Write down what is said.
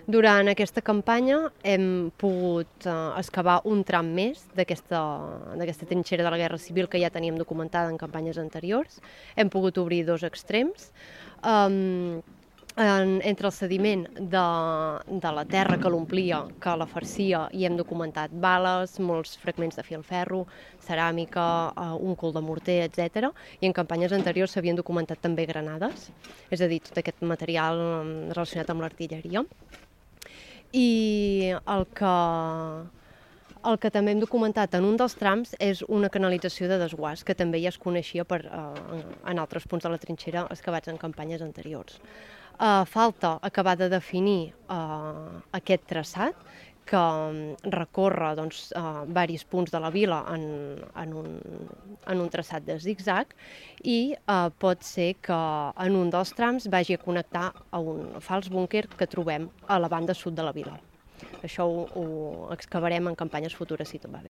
Durant aquesta campanya hem pogut excavar un tram més d'aquesta trinxera de la Guerra Civil que ja teníem documentada en campanyes anteriors. Hem pogut obrir dos extrems. Entre el sediment de la terra que l'omplia, que la farcia, i hem documentat bales, molts fragments de filferro, ceràmica, un cul de morter, etc. I en campanyes anteriors s'havien documentat també granades, és a dir, tot aquest material relacionat amb l'artilleria. I el que també hem documentat en un dels trams és una canalització de desguàs, que també ja es coneixia en altres punts de la trinxera excavats en campanyes anteriors. Falta acabar de definir aquest traçat, que recorre diversos punts de la vila en un traçat de zigzag, i pot ser que en un dels trams vagi a connectar a un fals búnquer que trobem a la banda sud de la vila. Això ho excavarem en campanyes futures si tot va bé.